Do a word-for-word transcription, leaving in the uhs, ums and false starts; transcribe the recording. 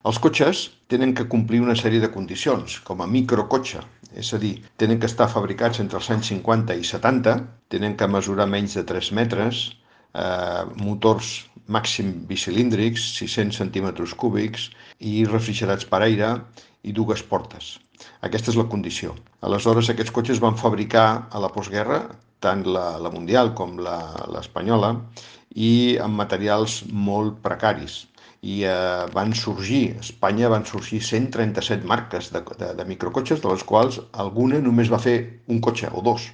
Els cotxes tenen que complir una sèrie de condicions, com a microcotxe, és a dir, tenen que estar fabricats entre els anys cinquanta i setanta, tenen que mesurar menys de tres metres, eh, motors màxim bicilíndrics, sis-cents centímetres cúbics, i refrigerats per aire, i dues portes. Aquesta és la condició. Aleshores, aquests cotxes van fabricar a la postguerra, tant la, la mundial com l'espanyola, i amb materials molt precaris. I eh, van sorgir, a Espanya van sorgir cent trenta-set marques de, de, de microcotxes, de les quals alguna només va fer un cotxe o dos.